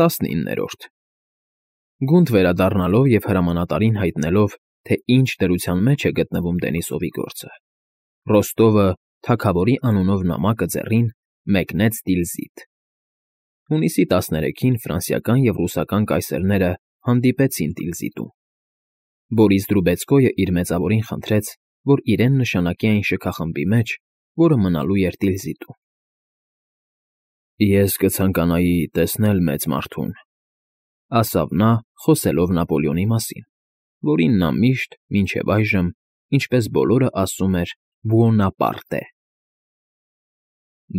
19-րդ Գունդ վերադառնալով և հրամանատարին հայտնելով, թե ինչ դրության մեջ է գտնվում Դենիսովի գործը, Ռոստովը, թագավորի անունով նամակը ձեռին, մեկնեց Տիլզիթ։ Հունիսի 13-ին ֆրանսիական և ռուսական կայսերները հանդիպեցին Տիլզիտում։ Բորիս Դրուբեցկոյը իր մեծավորին խնդրեց, որ իրեն նշանակի այն շքախմբի մեջ, որը մնալու էր Տիլզիտում։ Ես կցանկանայի տեսնել մեծ մարդուն, ասավ նա, խոսելով Նապոլեոնի մասին, որին նա միշտ, մինչև այժմ, ինչպես բոլորը ասում էր, Բուոնապարտ է։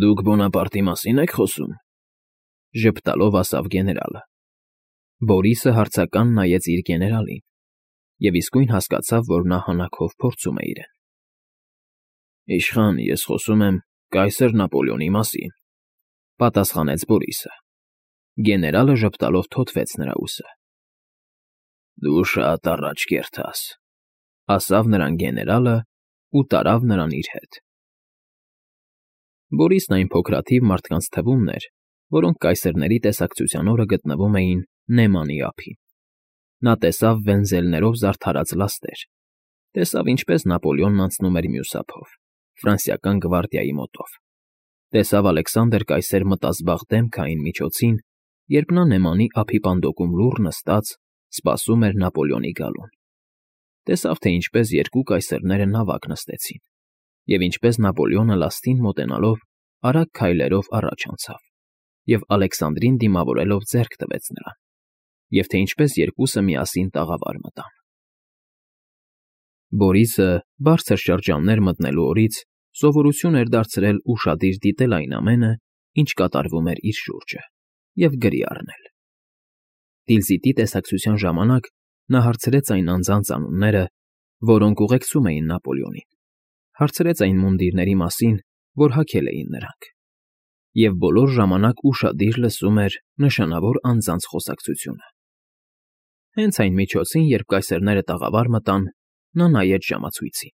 Դուք Բոնապարտի մասին եք խոսում, ժպտալով ասավ գեներալը։ Բորիսը հարցական նայեց իր գեներալին և իսկույն հասկացավ, որ նա հանաքով փորձում է իրեն։ Իշխան, ես խոսում եմ կայսր Նապոլեոնի մասին, պատասխանեց Բորիսը։ Գեներալը ժպտալով թոթվեց նրա ուսը։ Դու շատ առաջ կերտաս, ասավ նրան գեներալը ու տարավ նրան իր հետ։ Բորիսն այն փոքրաթիվ մարդկանց թվումն էր, որոնք կայսերների տեսակցության օրը գտնվում էին Նեմանի ափին։ Նա տեսավ վենզելներով զարդարած լաստեր, տեսավ ինչպես Նապոլեոնն անցնում էր մյուս ափով, ֆրանսիական գվարդիայի մոտով, տեսավ Ալեքսանդր կայսեր մտազբաղ դեմքային միջոցին, երբ նա Նեմանի ափի պանդոկում լուռ նստած սպասում էր Նապոլեոնի գալուն, տեսավ, թե ինչպես երկու կայսերները նավակ նստեցին, և ինչպես Նապոլեոնը լաստին մոտենալով արագ քայլերով առաջ անցավ, և Ալեքսանդրին դիմավորելով ձեռք տվեց նրան, և թե ինչպես երկուսը միասին տաղավար մտան։ Բորիսը, բարձր շրջաններ մտնելու օրից, սովորություն էր դարձրել ուշադիր դիտել այն ամենը, ինչ կատարվում էր իր շուրջը, և գրի առնել։ Տիլզիտի տեսակցության ժամանակ նա հարցրեց այն անձանց անունները, որոնք ուղեկցում էին Նապոլեոնին, հարցրեց այն մունդիրների մասին, որ հագել էին նրանք, և բոլոր ժամանակ ուշադիր լսում էր նշանավոր անձանց խոսակցությունը։ Հենց այն միջոցին, երբ կայսերները տաղավար մտան, նա նայեց ժամացույցին։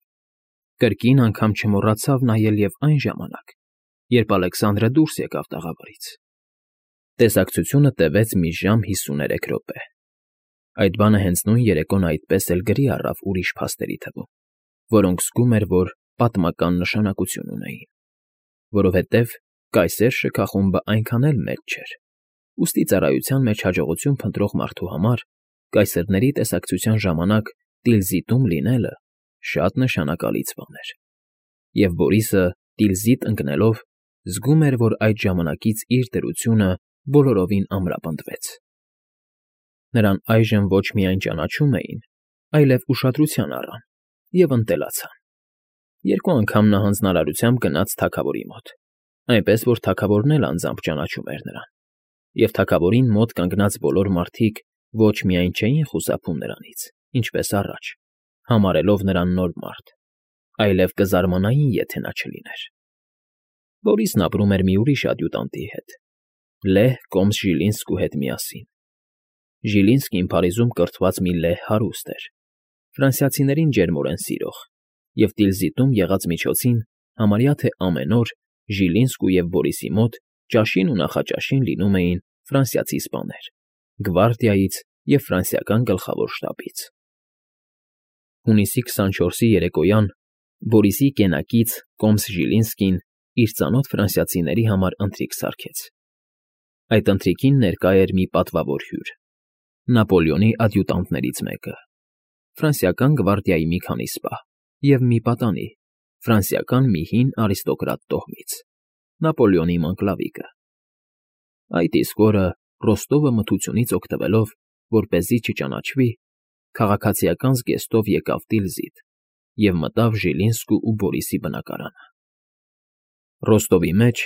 Կրկին անգամ չմոռացավ նայել և այն ժամանակ, երբ Ալեքսանդրը դուրս եկավ տաղավարից։ Տեսակցությունը տևեց մի ժամ 53 րոպե։ Այդ բանը հենց նույն երեկոն այդպես էլ գրի առավ ուրիշ փաստերի թվում, որոնք զգում էր, որ պատմական նշանակություն ունեին, որովհետև կայսեր շքախումբը այնքան էլ մեծ չէր, ուստի ծառայության մեջ հաջողություն փնտրող մարդու համար կայսերների տեսակցության ժամանակ Տիլզիտում լինելը շատ նշանակալից բան էր, և Բորիսը, Տիլզիտ ընկնելով, զգում էր, որ այդ ժամանակից իր դրությունը բոլորովին ամրապնդվեց։ Նրան այժմ ոչ միայն ճանաչում էին, այլև ուշադրության առան և ընտելացան։ Երկու անգամ նա հանձնարարությամբ գնաց թագավորի մոտ, այնպես որ թագավորն էլ անձամբ ճանաչում էր նրան, և թագավորին մոտ կանգնած բոլոր մարդիկ ոչ միայն չէին խուսափում նրանից, ինչպես առաջ, համարելով նրան նոր մարդ, այլև կզարմանային, եթե նա չլիներ։ Բորիսն ապրում էր մի ուրիշ ադյուտանտի հետ, լեհ կոմս Ժիլինսկու հետ միասին։ Ժիլինսկին Փարիզում կրթված մի լեհ հարուստ էր, ֆրանսիացիներին ջերմորեն սիրող, և Տիլզիտում եղած միջոցին համարյա թե ամեն օր Ժիլինսկու և Բորիսի մոտ ճաշին ու նախաճաշին լինում էին ֆրանսիացի սպաներ, գվարդիայից և ֆրանսիական գլխավոր շտաբից։ Հունիսի 24-ի երեկոյան Բորիսի կենակից կոմս Ժիլինսկին իր ծանոթ ֆրանսիացիների համար ընթրիք սարքեց։ Այդ ընթրիքին ներկա էր մի պատվավոր հյուր, Նապոլեոնի ադյուտանտներից մեկը, ֆրանսիական գվարդիայի մի քանի սպա և մի պատանի, ֆրանսիական մի հին արիստոկրատ տոհմից, Նապոլեոնի մանկլավիկը։ Այդ իսկ օրը Ռոստովը մթությունից օգտվելով, որպեսզի չճանաչվի, քաղաքացիական զգեստով եկավ Տիլզիտ և մտավ Ժիլինսկու ու Բորիսի բնակարանը։ Ռոստովի մեջ,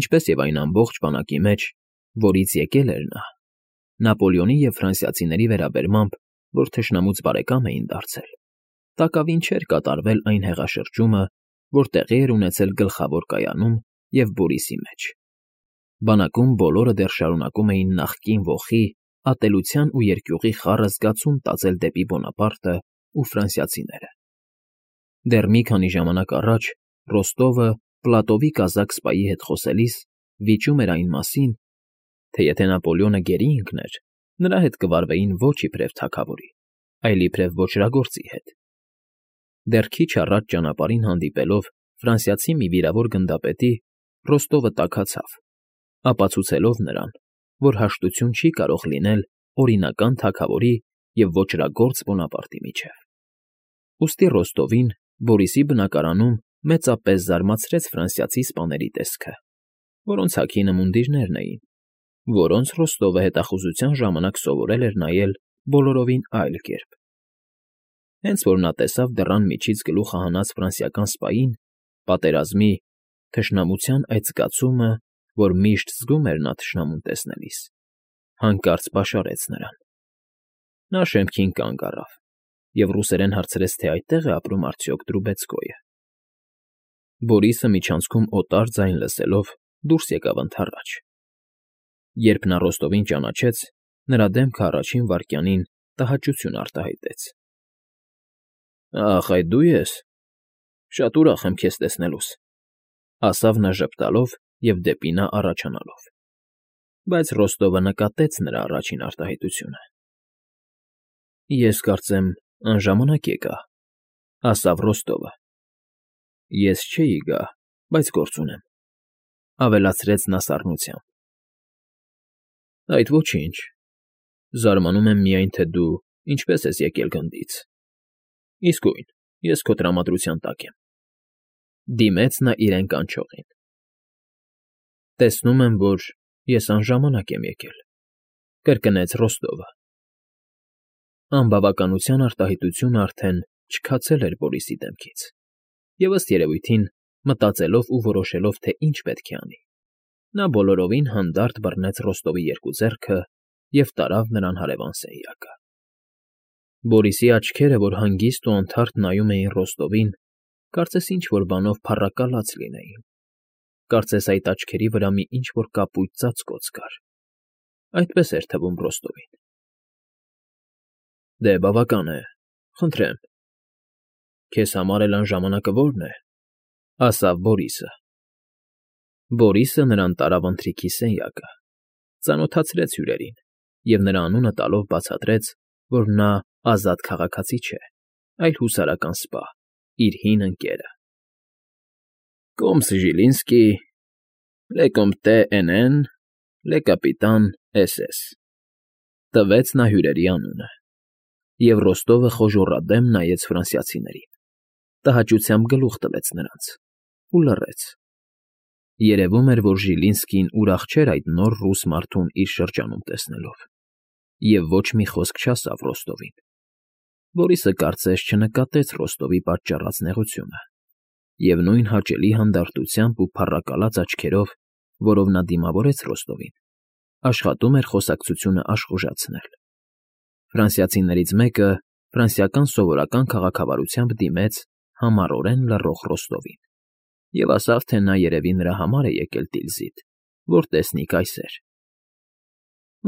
ինչպես և այն ամբողջ բանակի մեջ, որից եկել էր նա, Նապոլեոնի և ֆրանսիացիների վերաբերմամբ, որ թշնամուց բարեկամ էին դարձել, տակավին չէր կատարվել այն հեղաշրջումը, որ տեղի էր ունեցել գլխավոր կայանում և Բորիսի մեջ։ Բանակում բոլորը դեռ շարունակում էին նախկին ոխի, ատելության ու երկյուղի խառը զգացում տածել դեպի Բոնապարտը ու ֆրանսիացիները։ Դեռ մի քանի ժամանակ առաջ Ռոստովը Պլատովի կազակ սպայի հետ խոսելիս վիճում էր այն մասին, թե եթե Նապոլեոնը գերի ընկներ, նրա հետ կվարվեին ոչ իբրև թագավորի, այլ իբրև ոճրագործի հետ։ Դեռ քիչ առաջ ճանապարհին հանդիպելով ֆրանսիացի մի վիրավոր գնդապետի, Ռոստովը տաքացավ, ապացուցելով նրան, որ հաշտություն չի կարող լինել օրինական թագավորի և ոճրագործ Բոնապարտի միջև։ Ուստի Ռոստովին, Բորիսի բնակարանում մեծապես զարմացրեց ֆրանսիացի սպաների տեսքը, որոնց հագինը մունդիրներն էին, որոնց Ռոստովը հետախուզության ժամանակ սովորել էր նայել բոլորովին այլ կերպ։ Հենց որ նա տեսավ դռան միջից գլուխը հանած ֆրանսիական սպային, պատերազմի, թշնամության այդ զգացումը, որ միշտ զգում էր նա թշնամուն տեսնելիս, հանկարծ պաշարեց նրան։ Նա շեմքին կանգ առավ և ռուսերեն հարցրեց, թե այդտեղ է ապրում արդյոք Տրուբեցկոյը։ Բորիսը միջանցքում օտար ձայն լսելով դուրս եկավ ընդառաջ։ Երբ նա Ռոստովին ճանաչեց, նրա դեմքը առաջին վայրկյանին տհաճություն արտահայտեց։ «Ախ, այդ դու ես… Շատ ուրախ եմ քեզ տեսնելուս», ասավ նա ժպտալով և դեպի նա առաջանալով։ Բայց Ռոստովը նկատեց նրա առաջին արտահայտությունը։ «Ես կարծեմ, անժամանակ եկա», ասավ Ռոստովը։ «Ես չէի գա, բայց գործ ունեմ», ավելացրեց նա սառնությամբ։ «Այդ ոչինչ, զարմանում եմ միայն, թե դու ինչպես ես եկել գնդից։ Իսկույն, ես քո տրամադրության տակ եմ», դիմեց նա իրեն կանչողին։ «Տեսնում եմ, որ ես անժամանակ եմ եկել», կրկնեց Ռոստովը։ Անբավականության արտահայտությունը արդեն չքացել էր Բորիսի դեմքից, և ըստ երևույթին, մտածելով ու որոշելով, թե ինչ պետք է անի, նա բոլորովին հանդարտ բռնեց Ռոստովի երկու ձեռքը և տարավ նրան հարևան սենյակը։ Բորիսի աչքերը, որ հանգիստ ու անթարթ նայում էին Ռոստովին, կարծես ինչ֊որ բանով փառակալած լինեին, կարծես այդ աչքերի վրա մի ինչ֊որ կապույտ ծածկոց կար։ Այդպես էր թվում Ռոստովին։ «Դե, բավական է, խնդրեմ, քեզ համար էլ անժամանակը ո՞րն է», ասավ Բորիսը։ Բորիսը նրան տարավ ընթրիքի սենյակը, ծանոթացրեց հյուրերին և նրա անունը տալով բացատրեց, որ նա ազատ քաղաքացի չէ, այլ հուսարական սպա, իր հին ընկերը։ «Կոմս Ժիլինսկի, լե կոմտե Էնեն, լե կապիտան SS», տվեց նա հյուրերի անունը, և Ռոստովը խոժոռադեմ նայեց ֆրանսիացիներին, տհաճությամբ գլուխ տվեց նրանց ու լռեց։ Երևում էր, որ Ժիլինսկին ուրախ չէր այդ նոր ռուս մարդուն իր շրջանում տեսնելով, և ոչ մի խոսք չասավ Ռոստովին։ Բորիսը կարծես չնկատեց Ռոստովի պատճառած նեղությունը, և նույն հաճելի հանդարտությամբ ու փառակալած աչքերով, որով նա դիմավորեց Ռոստովին, աշխատում էր խոսակցությունը աշխուժացնել։ Ֆրանսիացիներից մեկը ֆրանսիական սովորական քաղաքավարությամբ դիմեց համառորեն լռող Ռոստովին և ասավ, թե նա երևի նրա համար է եկել Տիլզիտ, որ տեսնի կայսեր։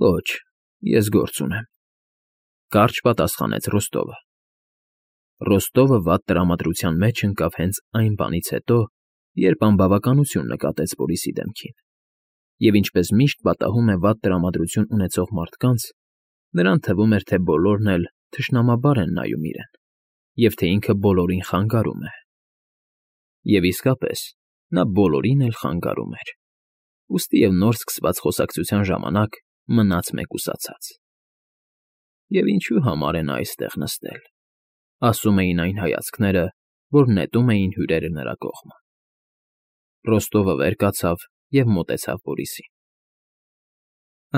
«Ոչ, ես գործ ունեմ», կարճ պատասխանեց Ռոստովը։ Ռոստովը վատ տրամադրության մեջ ընկավ հենց այն բանից հետո, երբ անբավականություն նկատեց Բորիսի դեմքին, և ինչպես միշտ պատահում է վատ տրամադրություն ունեցող մարդկանց, նրան թվում էր, թե բոլորն էլ թշնամաբար են նայում իրեն, և թե ինքը բոլորին խանգարում է։ Եվ իսկապես, նա բոլորին էլ խանգարում էր, ուստի և նոր սկսված խոսակցության ժամանակ մնաց մեկուսացած։ «Եվ ինչու համար է նա այստեղ նստել», ասում էին այն հայացքները, որ նետում էին հյուրերը նրա կողմը։ Ռոստովը վեր կացավ և մոտեցավ Բորիսին։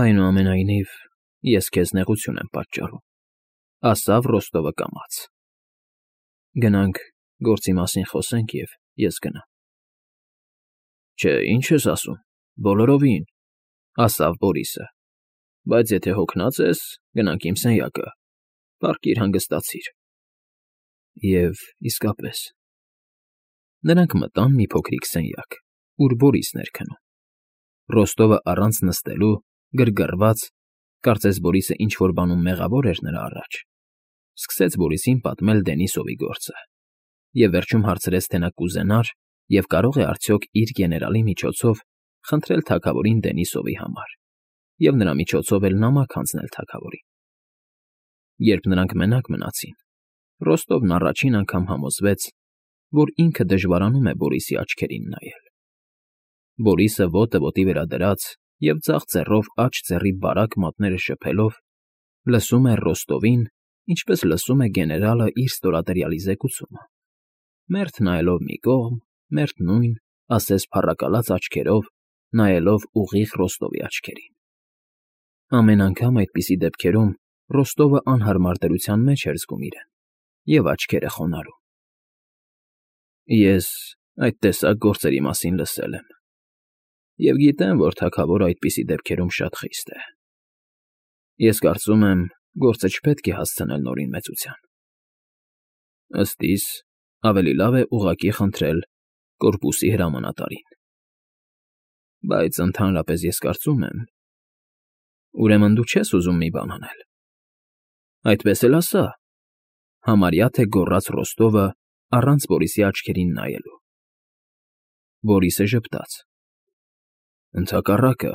«Այնուամենայնիվ, ես քեզ նեղություն եմ պատճառում», ասավ Ռոստովը կամաց։ «Գնանք գործի մասին խոսենք, և ես գնամ»։ «Չէ, ինչ ես ասում, բոլորովին», ասավ Բորիսը։ «Բայց եթե հոգնած ես, գնանք իմ սենյակը, պառկիր հանգստացիր»։ Եվ իսկապես, նրանք մտան մի փոքրիկ սենյակ, ուր Բորիսն էր քնում։ Ռոստովը առանց նստելու, գրգռված, կարծես Բորիսը ինչ֊որ բանում մեղավոր էր նրա առաջ, սկսեց Բորիսին պատմել Դենիսովի գործը, և վերջում հարցրեց, թե նա կուզենար և կարող է արդյոք իր գեներալի միջոցով խնդրել թագավորին Դենիսովի համար, և նրա միջոցով էլ նամակ հանձնել թագավորին։ Երբ նրանք մենակ մնացին, Ռոստովն առաջին անգամ համոզվեց, որ ինքը դժվարանում է Բորիսի աչքերին նայել։ Բորիսը ոտը ոտի վրա դրած և ձախ ձեռով աջ ձեռի բարակ մատները շփելով, լսում էր Ռոստովին, ինչպես լսում է գեներալը իր ստորադրյալի զեկուցումը, մերթ նայելով մի կողմ, մերթ նույն, ասես փառակալած աչքերով, նայելով ուղիղ Ռոստովի աչքերին։ Ամեն անգամ այդպիսի դեպքերում Ռոստովը անհարմար դրության մեջ էր զգում իրեն և աչքերը խոնարհում։ Ես այդ տեսակ գործերի մասին լսել եմ և գիտեմ, որ թագավորը այդպիսի դեպքերում շատ խիստ է։ Ես կարծում եմ, գործը չպետք է հասցնել նորին մեծության։ Ըստ իս, ավելի լավ է ուղղակի խնդրել կորպուսի հրամանատարին։ Բայց ընդհանրապես ես կարծում եմ… Ուրեմն դու չես ուզում մի բան անել։ Այդպես էլ ասա, համարյա թե գոռաց Ռոստովը առանց Բորիսի աչքերին նայելու։ Բորիսը ժպտաց. Ընդհակառակը,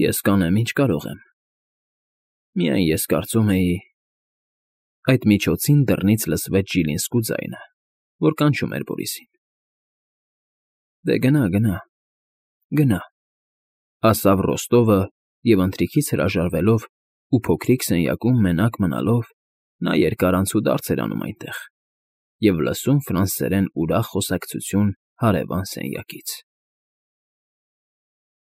ես կանեմ, ինչ կարող եմ։ Միայն ես կարծում էի… Այդ միջոցին դռնից լսվեց Ժիլինսկու ձայնը, որ կանչում էր Բորիսին։ Դե գնա, գնա, ասավ Ռոստովը և ընթրիքից հրաժարվելով ու փոքրիկ սենյակում մենակ մնալով նա երկար անցուդարձ էր անում այնտեղ և լսում ֆրանսերեն ուրախ խոսակցություն հարևան սենյակից։